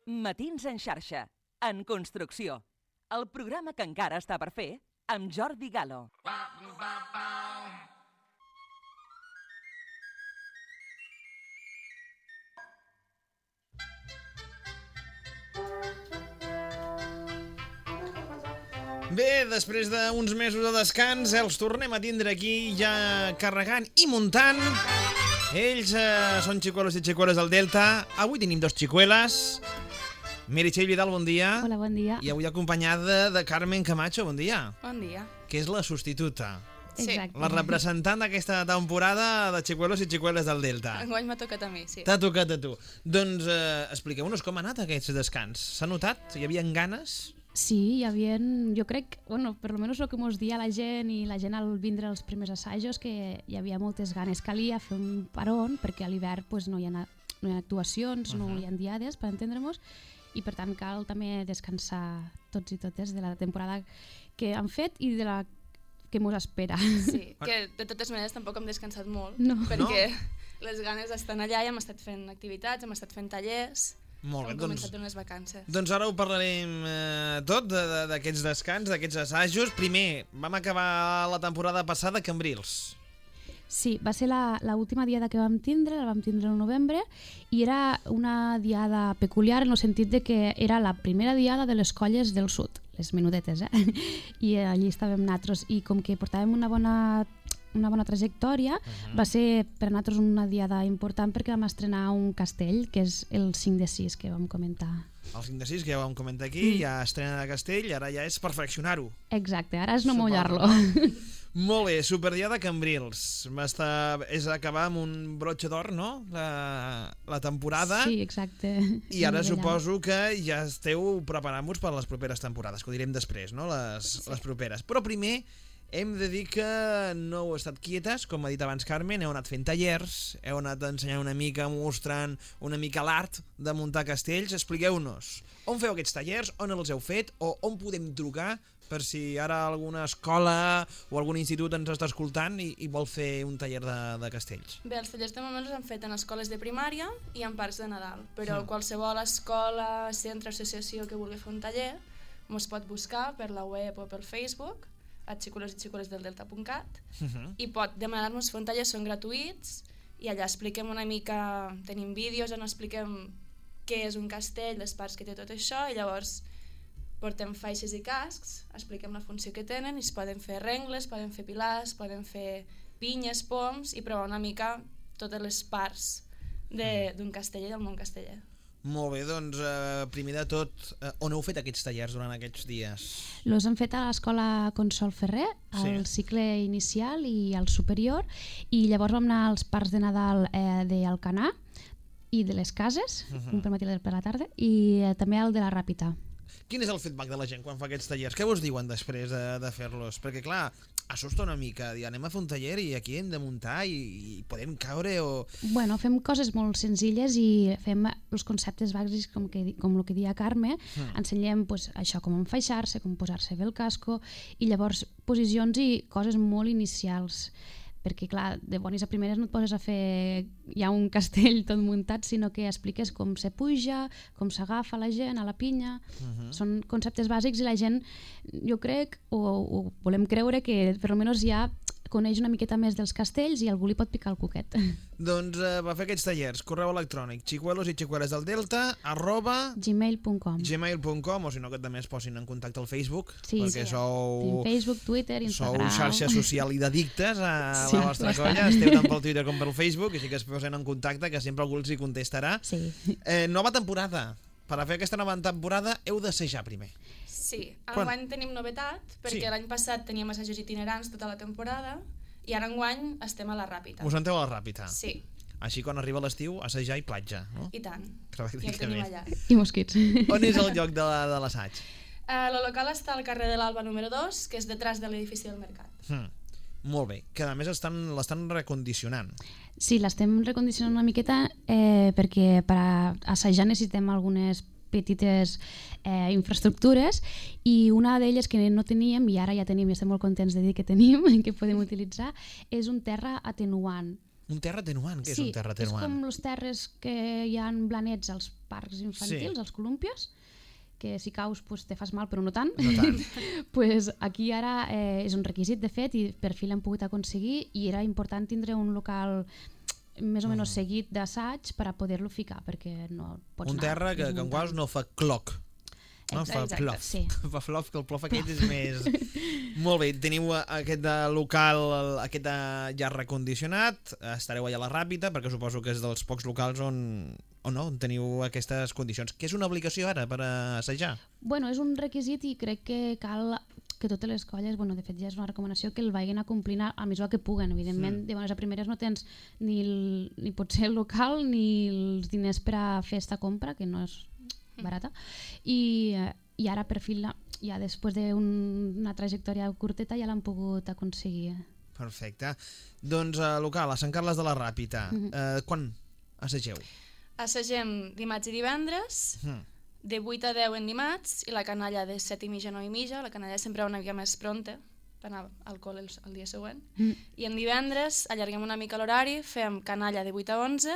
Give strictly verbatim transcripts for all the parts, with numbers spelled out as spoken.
Matins en xarxa, en construcció. El programa que encara està per fer amb Jordi Galo. Bé, després d'uns mesos de descans, els tornem a tindre aquí ja carregant i muntant. Ells eh, són xicuelos i xicueles del Delta. Avui tenim dos xicueles. Meritxell Vidal, bon dia. Hola, bon dia. I avui acompanyada de Carmen Camacho, bon dia. Bon dia. Que és la substituta. Sí. Exacte. La representant d'aquesta temporada de xicuelos i xicueles del Delta. Enguany m'ha tocat a mi, sí. T'ha tocat a tu. Doncs eh, expliqueu-nos com ha anat aquest descans. S'ha notat? Hi havia ganes? Sí, hi havia, jo crec, bueno, per almenys el que mos dia la gent i la gent al vindre als primers assajos, que hi havia moltes ganes. Calia fer un paron perquè a l'hivern pues, no, hi ha, no hi ha actuacions, uh -huh. no hi ha diades, per entendre-nos, i per tant cal també descansar tots i totes de la temporada que han fet i de la que mos espera. Sí, que de totes maneres tampoc hem descansat molt, no. perquè no? Les ganes estan allà i hem estat fent activitats, hem estat fent tallers. Molt bé, hem doncs, començat unes vacances. Doncs ara ho parlarem eh, tot d'aquests descans, d'aquests assajos. Primer, vam acabar la temporada passada a Cambrils. Sí, va ser l'última diada que vam tindre, la vam tindre al novembre, i era una diada peculiar en el sentit de que era la primera diada de les colles del sud, les menudetes, eh? I allí estàvem nosaltres, i com que portàvem una bona... una bona trajectòria, uh-huh. va ser per a nosaltres una diada important perquè vam estrenar un castell, que és el cinc de sis que vam comentar. El cinc de sis que ja vam comentar aquí, mm. ja estrena de castell, ara ja és perfeccionar-ho. Exacte, ara és no mullar-lo. Molt bé, Superdiada Cambrils. Va estar, és acabar amb un brotxe d'or, no?, la, la temporada. Sí, exacte. I ara suposo que ja esteu preparant-vos per les properes temporades, que ho direm després, no?, les, sí. les properes. Però primer hem de dir que no heu estat quietes, com ha dit abans Carmen, heu anat fent tallers, heu anat ensenyant una mica, mostrant una mica l'art de muntar castells. Expliqueu-nos, on feu aquests tallers, on els heu fet, o on podem trucar per si ara alguna escola o algun institut ens està escoltant i, i vol fer un taller de, de castells. Bé, els tallers de moment els han fet en escoles de primària i en parcs de Nadal, però mm. qualsevol escola, centre, associació que vulgui fer un taller ens pot buscar per la web o pel Facebook a xicuelos i xicueles del delta punt cat uh -huh. i pot demanar-nos fer un taller, són gratuïts i allà expliquem una mica, tenim vídeos on expliquem què és un castell, les parts que té tot això, i llavors portem faixes i cascs, expliquem la funció que tenen i es poden fer rengles, poden fer pilars, poden fer pinyes, poms i provar una mica totes les parts d'un casteller i del món casteller. Molt bé, doncs eh, primer de tot, eh, on heu fet aquests tallers durant aquests dies? Los hem fet a l'escola Consol Ferrer, al sí. cicle inicial i al superior, i llavors vam anar als parcs de Nadal eh, d'Alcanar i de les cases, uh -huh. un per matí i per la tarda, i eh, també al de la Ràpita. Quin és el feedback de la gent quan fa aquests tallers? Què vos diuen després de, de fer-los? Perquè clar, assusta una mica, dir, anem a fer un taller i aquí hem de muntar i, i podem caure o... Bueno, fem coses molt senzilles i fem els conceptes bàsics com, que, com el que dia Carme, mm. ensenyem pues, això, com enfaixar-se, com posar-se bé el casco, i llavors posicions i coses molt inicials, perquè clar, de bones a primeres no et poses a fer ja un castell tot muntat, sinó que expliques com se puja, com s'agafa la gent a la pinya. Uh-huh. Són conceptes bàsics i la gent, jo crec, o, o volem creure que per almenys ja coneix una miqueta més dels castells i algú li pot picar el cuquet. Doncs eh, va fer aquests tallers, correu electrònic xicuelos i xicueles del delta arroba gmail punt com gmail punt com, o si no que també es posin en contacte al Facebook, sí, perquè sí. sou Tenim Facebook, Twitter, Instagram, sou xarxa social i d'addictes a sí, la vostra bastant. colla, esteu tant pel Twitter com pel Facebook, així que es posen en contacte, que sempre algú els hi contestarà. Sí. Eh, nova temporada. Per a fer aquesta nova temporada heu d'assajar primer. Sí, enguany tenim novetat, perquè sí. l'any passat teníem assajos itinerants tota la temporada i ara enguany estem a la Ràpita. Us enteu a la Ràpita? Sí. Així quan arriba l'estiu, assajar i platja, no? I tant, ja el tenim allà. I mosquits. On és el lloc de l'assaig? Uh, el local està al carrer de l'Alba número dos, que és detrás de l'edifici del Mercat. Hmm. Molt bé, que a més l'estan recondicionant. Sí, l'estem recondicionant una miqueta eh, perquè per a assajar necessitem algunes petites eh, infraestructures, i una d'elles que no teníem i ara ja tenim i estem molt contents de dir que tenim, que podem utilitzar, és un terra atenuant. Un terra atenuant? Què sí, és un terra atenuant? Sí, és com els terres que hi ha blanets als parcs infantils, Sí. als colúmpios, que si caus pues, te fas mal però no tant. No tant. pues aquí ara eh, és un requisit de fet i per fi l'hem pogut aconseguir i era important tindre un local més o menys Mm. seguit d'assaig per a poder-lo ficar perquè no pots Un anar terra que, que en desmuntant. quals no fa cloc. No, fa Exacte, plof. sí. Fa plof, que el plof aquest és més... Molt bé, teniu aquest de local, aquest de ja recondicionat, estareu allà a la Ràpita, perquè suposo que és dels pocs locals on, on, no, on teniu aquestes condicions. Que és una obligació ara per assajar? Bueno, és un requisit i crec que cal que totes les colles, bueno, de fet ja és una recomanació que el vagin acomplint a mesura que puguen, evidentment, Mm. de bones a primeres no tens ni, el, ni potser el local ni els diners per a fer esta compra, que no és barata, i, eh, i ara per fi, la, ja després d'una trajectòria curteta ja l'han pogut aconseguir. Perfecte. Doncs uh, local, a Sant Carles de la Ràpita, Mhm. uh, quan assageu? Assagem dimarts i divendres, Mm. de vuit a deu en dimarts, i la canalla de set i mitja a nou i mitja. La canalla sempre va una mica més pronta, per anar al col·le el, el dia següent. Mm. I en divendres allarguem una mica l'horari, fem canalla de vuit a onze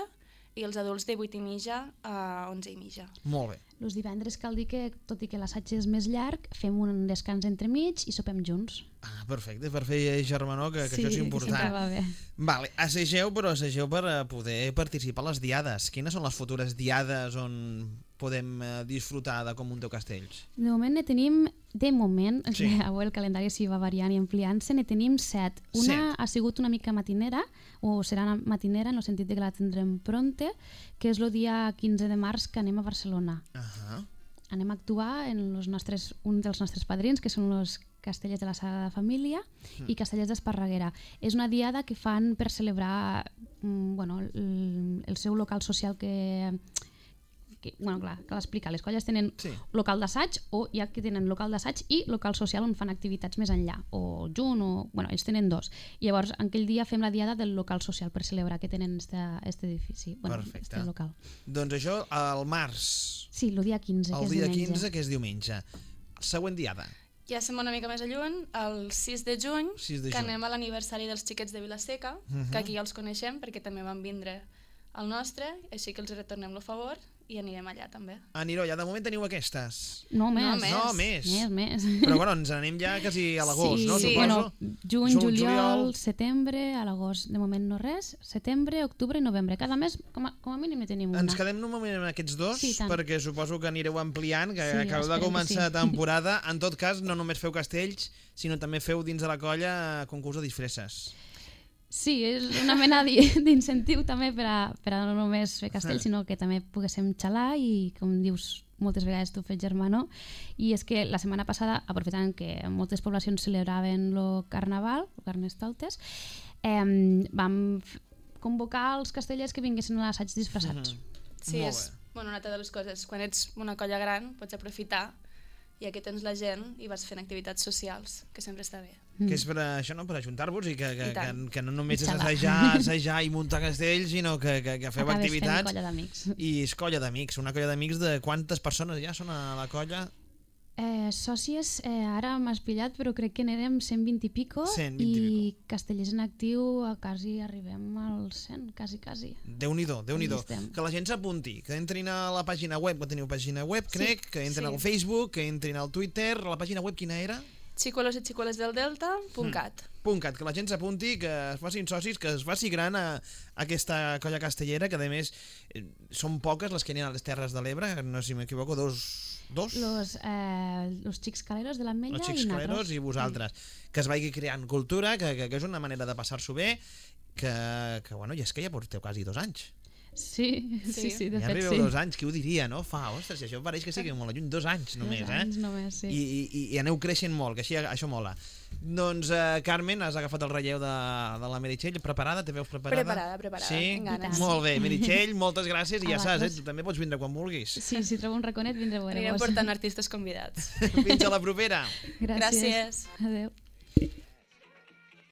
i els adults de vuit i mitja a onze i mitja. Molt bé. Els divendres cal dir que, tot i que l'assaig és més llarg, fem un descans entremig i sopem junts. Ah, perfecte, per fer germanor, que, que sí, això és sempre important. va bé. Vale, assageu, però assageu per eh, poder participar a les diades. Quines són les futures diades on podem eh, disfrutar de Com Munteu Castells? De moment ne tenim, de moment, Sí. sí. avui el calendari s'hi va variant i ampliant-se, ne tenim set. Una Set. ha sigut una mica matinera, o serà una matinera en el sentit de que la tindrem pronta, que és el dia quinze de març que anem a Barcelona. Ahà. Anem a actuar en los nostres, un dels nostres padrins, que són els Castellers de la Sagrada Família Mm. i Castellers d'Esparreguera. És una diada que fan per celebrar mm, bueno, el, el seu local social que... que bueno, clar, cal explicar. Les colles tenen Sí. local d'assaig o hi ha que tenen local d'assaig i local social on fan activitats més enllà, o junt, o... Bueno, ells tenen dos. I llavors, aquell dia fem la diada del local social per celebrar que tenen este, este edifici, bueno, Perfecte. este local. Doncs això, al març, Sí, el dia quinze, el que és dia diumenge. quinze, que és diumenge. Següent diada. Ja som una mica més a lluny, el sis de juny, sis de que juny. anem a l'aniversari dels xiquets de Vilaseca, Mhm. que aquí ja els coneixem perquè també van vindre al nostre, així que els retornem el favor i anirem allà també. Aniró, ja de moment teniu aquestes. No, més. No, més. No, més. Més, més. Però bueno, ens anem ja quasi a l'agost, sí, no? sí. Suposo. Bueno, juny, Juny, juliol, juliol. setembre, a l'agost de moment no res, setembre, octubre i novembre. Cada mes, com a, com a mínim, ne tenim una. Ens quedem un moment amb aquests dos, Sí, tant. perquè suposo que anireu ampliant, que Sí, acabeu de esperem que començar sí. temporada. En tot cas, no només feu castells, sinó també feu dins de la colla concurs de disfresses. Sí, és una mena d'i- d'incentiu també per a, per a no només fer castell, Sí. sinó que també poguéssim xalar i, com dius, moltes vegades tu fes germano. I és que la setmana passada, aprofitant que moltes poblacions celebraven el carnaval, el Carnestoltes, eh, vam f- convocar els castellers que vinguessin a l'assaig disfressats. Mhm. Sí, Molt és bé. bueno, una altra de les coses. Quan ets una colla gran pots aprofitar i aquí tens la gent i vas fent activitats socials, que sempre està bé. Mm. Que és per a, això, no? Per ajuntar-vos i que, que, I tant. que, que no només és Xalar. assajar, assajar i muntar castells, sinó que, que, que feu Acabes fent activitats. colla d'amics. I és colla d'amics. Una colla d'amics de quantes persones ja són a la colla? Eh, sòcies, eh, ara m'has pillat, però crec que n'érem cent vint i pico cent vint i i castellers en actiu a quasi arribem als cent, quasi, quasi. Déu-n'hi-do, Déu-n'hi-do. Allí estem. Que la gent s'apunti, que entrin a la pàgina web, que teniu pàgina web, Sí. crec, que entrin Sí. al Facebook, que entrin al Twitter. La pàgina web quina era? Xicolos i xicoles del Delta, punt cat. Punt cat, que la gent s'apunti, que es facin socis, que es faci gran a, a aquesta colla castellera, que a més eh, són poques les que n'hi ha a les Terres de l'Ebre, no sé si m'equivoco, dos... Dos? Los, eh, los xics caleros de l'Ametlla Els i xics nosaltres. caleros i vosaltres. Que es vagi creant cultura, que, que, que és una manera de passar-s'ho bé, que, que bueno, i és que ja porteu quasi dos anys. Sí, sí, sí, sí, de Ja fet arribeu sí. dos anys, qui ho diria, no? Fa, ostres, si això pareix que sigui molt lluny, dos anys només, Dos eh? anys només, sí. I, i, i aneu creixent molt, que així això mola. Doncs, eh, Carmen, has agafat el relleu de, de la Meritxell, preparada? Te veus preparada? Preparada, preparada, Sí? amb ganes. Molt bé, Meritxell, moltes gràcies i A ja saps, eh? vosaltres. Tu també pots vindre quan vulguis. Sí, si trobo un raconet vindré a Anirem veure-vos. portant artistes convidats. Fins a la propera! Gràcies. Gràcies. Adéu.